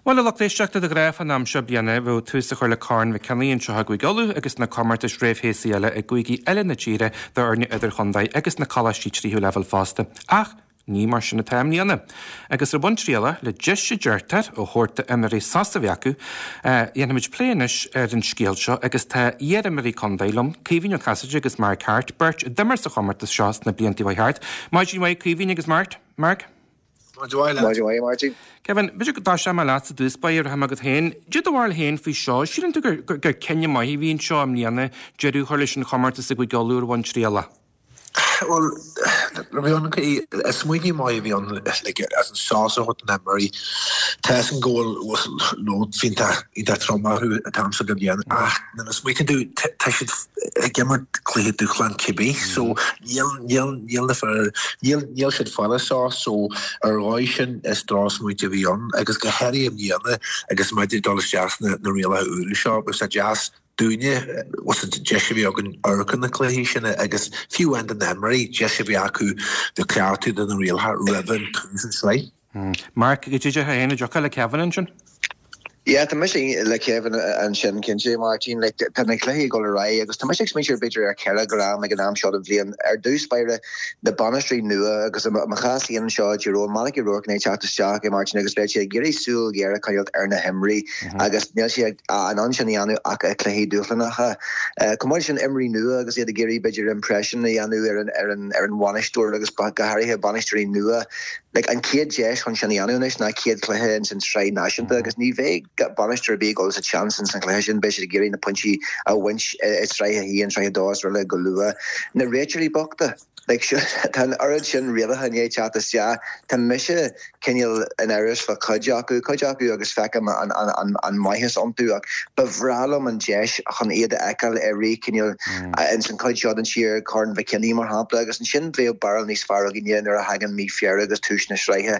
Bhuel, a lucht éisteachta, de ghnáth fán am seo bliana bheadh tús á chur le Corn Mhic Cionnaith anseo i gCúige Uladh agus na comórtais réamhshéasúir eile i gcúigí eile na tíre d'fhoirne idirchontae agus na coláistí tríú leibhéal fosta. Ach ní mar sin atá i mbliana. Agus ar bhonn trialach, le deis a deirtear, a thabhairt d'imreoirí sos a bheith acu, dhéanfaimid plé anois ar an scéal seo agus tá iar-imreoirí contae liom, Caoimhín Ó Casaide agus Mark Harte, beirt a d'imir sa chomórtas seo sna blianta a chuaigh thart. Maidin mhaith, Caoimhín agus Mark. Mark. Maidin mhaith leat. Maidin mhaith, Máirtín. Kevin, b'fhéidir go dtosóidh mé leat i dtús báire, rachaidh mé agat féin. Cad é do bharúil féin faoi seo, síleann tú gur gur cinneadh maith a bhí anseo i mbliana deireadh a chur leis an chomórtas i gCúige Uladh ar bhonn trialach? Bhuel, bhí an smaoineamh maith a bhí ann like, as an sos a thabhairt do na himreoirí. Tá a fhios agam go bhfuil load iontach iontach trom orthu an t-am seo den bhliain ach nuair a smaoitíonn tú tá siad ag imirt cluiche dúshlán cibé so níl níl níl na fir níl níl siad fáil sos so ar dhóigh sin is drochsmaointe a bhí ann agus go háirithe i mbliana agus muid ag dul isteach sna na rialacha úra seo bheadh sé deas dúinne was an deis a bhí againn amharc ar na cluichí sin agus fiú amháin do na himreoirí deis a bhí acu do cleachtadh do na rialacha roimh an tús an sraith. Mark, cad é a déarfá féin, an dtiocfá le Kevin ansin? Yeah, tá mise le Kevin ansin, cinnte, Máirtín. Like, tá na cluichí ag dul ar aghaidh agus tá mise ag smaointiú b'fhéidir ar cheithre dhream ag an am seo den bhliain. Ar dtús báire, na bainisteoirí nua agus i mo chás féin anseo i dTír Eoghain, Malachy Rourke i ndiaidh teacht isteach, eh Máirtín, agus beidh sé ag iarraidh súil ghéar a choinneáilt ar na himreoirí agus níl sé in ann sin a dhéanamh ach i cluichí dúshlánacha. Chomh maith leis sin, imreoirí nua agus iad ag iarraidh b'fhéidir impression a dhéanamh ar an, ar an, ar an bhainisteoir agus go háirithe bainisteoirí nua. Like, an chéad deis chun sin a dhéanamh anois ná chéad chluiche ins an tsraith náisiúnta agus ní bheidh bainisteoir ar bith ag dul sa tseans ins an chluiche sin, beidh siad ag iarraidh na pointí a bhaint i sraith a haon, sraith a dó is araile go luath. Na réiteoirí bochta, like, tá an oiread sin rialacha i ndiaidh teacht isteach, tá mise cineál in amhras fá chuid acu, cuid acu agus feicim an, an, an, an maitheas iontu ach ba bhreá liom an deis chun iad a fheiceáil i rith cineál ins an chuid seo den tír, Corn Mhic Cionnaith mar shampla, agus ansin bheadh barúil níos fearr againne nuair a thagann mí Feabhra agus tús na sraithe.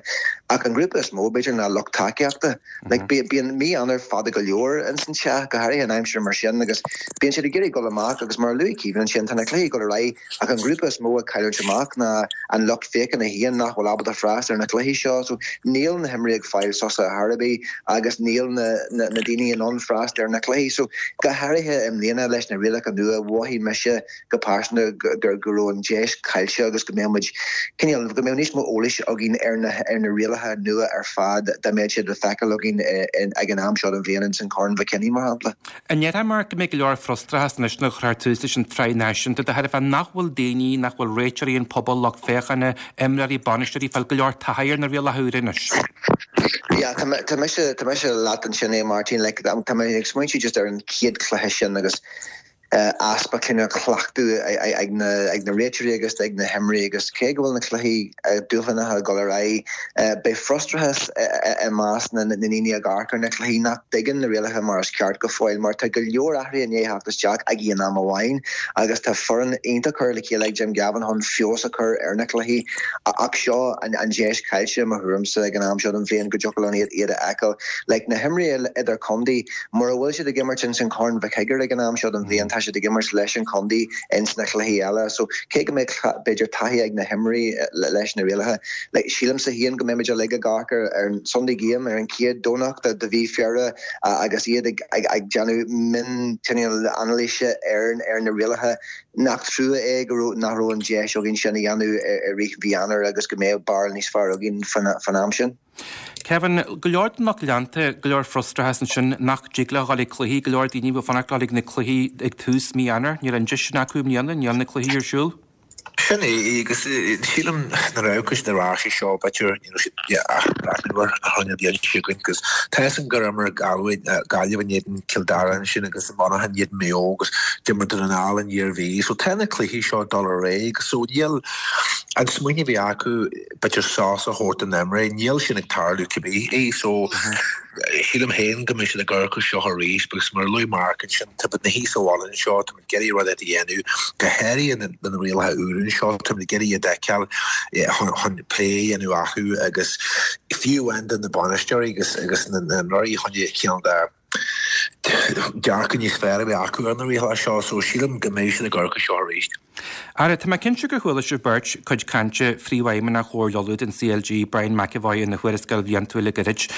Ach an grúpa is mó, b'fhéidir, ná lucht tacaíochta. Like, bíonn mí Eanáir fada go leor ins an teach, go háirithe in aimsir mar sin, agus bíonn siad ag iarraidh dul amach agus mar a luaigh Caoimhín ansin, tá na cluichí ag dul ar aghaidh ach an grúpa is mó ag cailliúint amach ná an lucht féachana féin nach bhfuil ábalta freastal ar na cluichí seo. So níl na himreoirí ag fáil sosa ar chor ar bith agus níl na na daoine in ann freastal ar na cluichí. So go háirithe i mbliana leis na rialacha nua, mhothaigh mise go pearsanta go go raibh an deis caillte agus go mbeadh muid cineál, go mbeadh níos mó eolais againn ar na ar na rialacha nua ar fad dá mbeadh siad le feiceáil againn ag an am seo den bhliain ins an Corn Mhic Cionnaith mar shampla. An ndéarfá, Mark, go mbeidh go leor frustrachas anois nuair a chuirfear tús leis an tsraith náisiúnta, de thairbhe nach bhfuil daoine, nach bhfuil réiteoirí, an pobal, lucht féachana, imreoirí, bainisteoirí, ag fáil go leor taithí ar na rialacha úra anois? Yeah, tá tá mise, tá mise leat ansin a Mháirtín, like, tá mé ag smaointiú just ar an chéad chluiche sin agus easpa cineál cleachtadh ag na réiteoirí agus ag na himreoirí agus cé go bhfuil na cluichí dúshlánacha ag dul ar aghaidh, beidh frustrachas i measc na ndaoine ag amharc ar na cluichí nach dtuigeann na rialacha mar is ceart go fóill mar tá go leor athruithe i ndiaidh theacht isteach ag aon am amháin agus tá foireann iontach curtha le chéile ag Jim Gavin chun feabhas a chur ar na cluichí ach seo an deis caillte i mo thuairimse ag an am seo den bhliain go dtiocfadh linn iad a fheiceáil. Like na himreoirí idirchontae, Mura bhfuil siad ag imirt ins an Chorn Mhic Shigiúir ag an am seo den bhliain, tá siad ag imirt leis an chontae ins na cluichí eile. So, cé go mbeidh b'fhéidir taithí ag na himreoirí leis na rialacha, like, sílimse féin go mbeimid uilig ag amharc ar an Sunday Game ar an chéad Domhnach de mhí Feabhra agus iad ag ag déanamh mion cineál anailíse ar ar na rialacha. Nach trua é go raibh nach raibh an deis againn sin a dhéanamh i rith mhí Eanáir agus go mbeadh barúil níos fearr againn fán am sin. Kevin, go leor den lucht leanta, go leor frustrachas ansin nach dtig leo dhul ag cluichí, go leor daoine a bhí ag fanacht le dhul ag na cluichí ag tús mí Eanáir, níl an deis sin acu i mbliana, níl na cluichí ar siúl. Sin é, agus sílim nuair a amharcann siad ar ais air seo, b'fhéidir, you know, siad athbhreathnú ar an bhliain seo chugainn, agus tá fhios agam gur imir Gaillimh in éadan Cill Dara ansin agus an Monaghan in éadan Maigh Eo agus d'imir Dún na nGall an Iarmhí, so tá na cluichí seo ag dul ar aghaidh, so níl an smaoineamh a bhí acu, b'fhéidir sos a thabhairt do na himreoirí. Níl sin ag tarlú cibé. So, sílim féin go mbeidh siad ag amharc air seo arís because mar a luaigh Mark ansin, táimid ina shuí sa bhaile anseo, táimid ag iarraidh rud éigin a dhéanamh, go háirithe na rialacha úra anseo, táimid ag iarraidh iad a fheiceáil chun plé a dhéanamh orthu agus fiú amháin do na bainisteoirí agus agus na himreoirí chun cineál de dearcadh níos fearr a bheith acu ar na rialacha seo. So, sílim go mbeidh siad ag amharc air seo arís. Ara, tá mé cinnte gur chuala sibh beirt cuid cainte Phríomhfheidhmeannach Chomhairle Uladh den CLG, Brian McEvoy ina thuarascáil bhliantúil le gairid.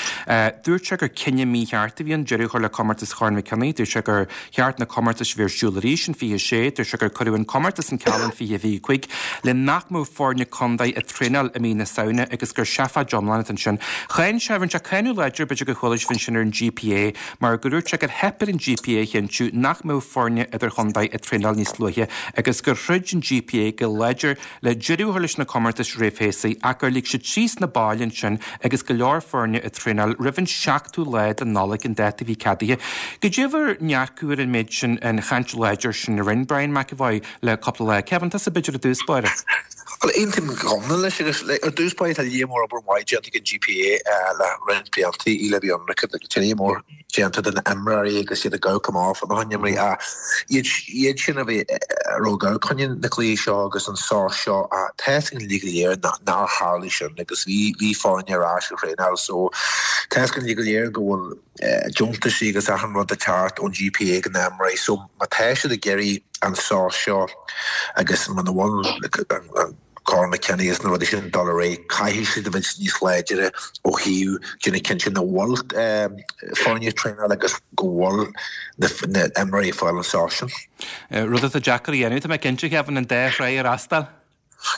Dúirt sé gur cinneadh mícheart a bhí ann deireadh a chur le comórtas Chorn Mhic Cionnaith. Dúirt sé gur cheart na comórtais a bheith ar siúl arís in 26. Dúirt sé gur cuireadh an comórtas an ceal in 2025 le nach mbeadh foirne contae ag traenáil i mí na Samhna agus gur seafáid iomlán atá ansin. Cháin sé, rinne sé cáineadh láidir, b'fhéidir gur chuala sibh ansin ar an GPA, mar gur dhúirt sé gur theip ar an GPA a chinntiú nach mbeadh foirne idirchontae ag traenáil níos luaithe agus gur throid an GPA go láidir le deireadh a chur leis na comórtais réamhshéasúir ach gur lig siad síos na baill ansin agus go leor foirne ag traenáil roimh an seachtú lá de Nollaig, an dáta a bhí ceadaithe. Goidé bhur ndearcadh ar an méid sin, an chaint láidir sin a rinne Brian McEvoy le cúpla lá? Kevin, tusa b'fhéidir i dtús báire. Bhuel, aontaím go hiomlán leis agus ar dtús báire tá lear mór obair mhaith déanta ag an GPA le roinnt blianta í le bheith ionraic tá lear mór déanta do na imreoirí agus iad ag amharc amach fá na himreoirí ach iad iad sin a bhí a raibh ag amharc chun na cluichí seo agus an sos seo ach tá fhios againn uilig go léir nár tharlaigh sin agus bhí bhí foirne ar ais ag traenáil so tá fhios againn uilig go léir go bhfuil deontaisí agus achan rud ag teacht ón GPA go na imreoirí so má tá siad ag iarraidh an sos seo agus muna bhfuil an Corn McKinney agus na rudaí sin dul ar aghaidh caithfidh siad a bheith níos láidire ó thaobh déanamh cinnte nach bhfuil foirne ag traenáil agus go bhfuil na imreoirí ag fáil an sos sin. Rud atá deacair a dhéanamh, tá mé cinnte, Kevin, an dá thráigh a fhreastal.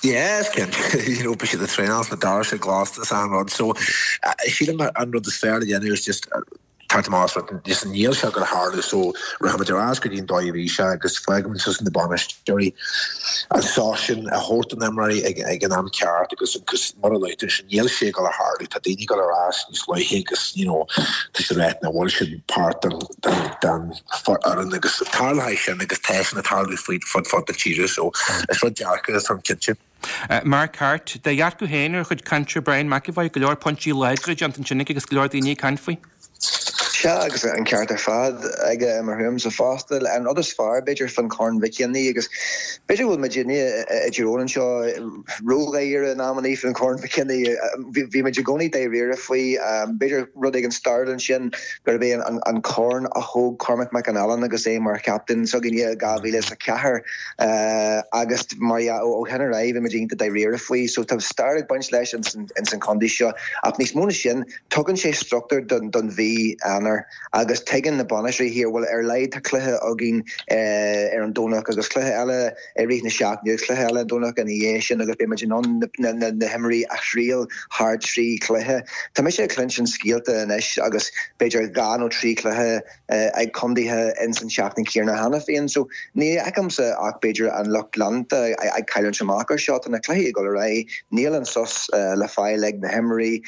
Yeah, is cinnte. You know, beidh siad ag traenáil sna doirse glas is achan rud. So, sílim an rud is fearr le dhéanamh is just teacht amach as just níl sé ag goil a tharlú so rachaimid ar ais go dtí an dóigh a bhí sé agus fágfaimid suas na bainisteoirí an sos sin a thabhairt don imreoirí ag, ag an am ceart agus agus mar a luaigh tú sin níl sé ag goil a tharlú tá daoine ag goil ar ais níos luaithe agus you know tá siad ag rá nach bhfuil siad páirt den den den fhoireann agus tarlóidh sin agus tá sin ag tarlú faoi fud fad na tíre so is rud deacair é táim cinnte. Mark Harte, do dhearcadh féin ar chuid cainte Brian McEvoy, go leor pointí láidre déanta ansin aige agus go leor daoine ag caint faoi. Sea, agus an ceart ar fad aige i mo thuairimse fosta. An rud is fearr, b'fhéidir, fán Chorn Mhic Cionnaith agus b'fhéidir go bhfuil muidinne i dTír Eoghain anseo ródháiríre in amannaí fán Chorn Mhic Cionnaith. Bhí muid i gcónaí dáiríre faoi. B'fhéidir rud éigin stairiúil ansin gurb é an corn a thóg Cormac McAnallen agus é mar chaptaen s'againne i 2004 agus mar dhea ó shin ar aghaidh bhí muid iontach dáiríre faoi. So tá stair ag baint leis ins an chontae seo ach níos mó na sin tugann sé struchtúr don mhí Eanáir agus tuigeann na bainisteoirí here bhuel ar a laghad tá cluiche againn ar an Domhnach agus cluiche eile i rith na seachtaine agus cluiche eile an Domhnach ina dhiaidh sin agus beidh muid in ann na himreoirí a thriail thar thrí chluiche. Tá mise ag cluinstin scéalta anois agus b'fhéidir 2 nó 3 chluiche ag contaetha ins an tseachtain chéanna cheana féin so ní fheicimse ach b'fhéidir an lucht leanta ag cailliúint amach ar seo. Tá na cluichí ag dul ar aghaidh, níl an sos le fáil ag na himreoirí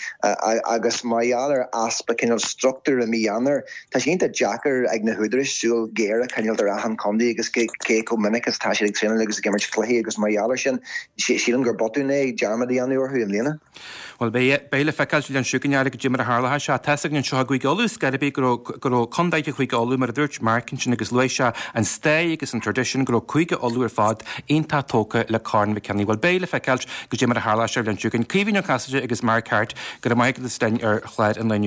agus mar gheall ar easpa cineál struchtúir i mí Eanáir, Tá sé iontach deacair ag na húdaráis súil ghéar a choinneáilt ar achan chontae agus cé chomh minic is atá siad ag traenáil agus ag imirt cluichí agus mar gheall air sin, sílim gur botún é dearmad a dhéanamh orthu i mbliana. Bhuel, beidh, beidh le feiceáil an bhliain seo chugainn goidé mar a tharlóidh sé. Tá's againn anseo i gCúige Uladh, scor ar bith, go raibh, go raibh contaetha Chúige Uladh, mar a dúirt Mark ansin agus luaigh sé an stair agus an tradition, go raibh Cúige Uladh ar fad iontach tógtha le Corn Mhic Cionnaith. Bhuel, beidh le feiceáil goidé mar a tharlóidh sé an bhliain seo chugainn. Caoimhín Ó Casaide agus Mark Harte, go raibh maith agat as linn ar chlár an lae inniu.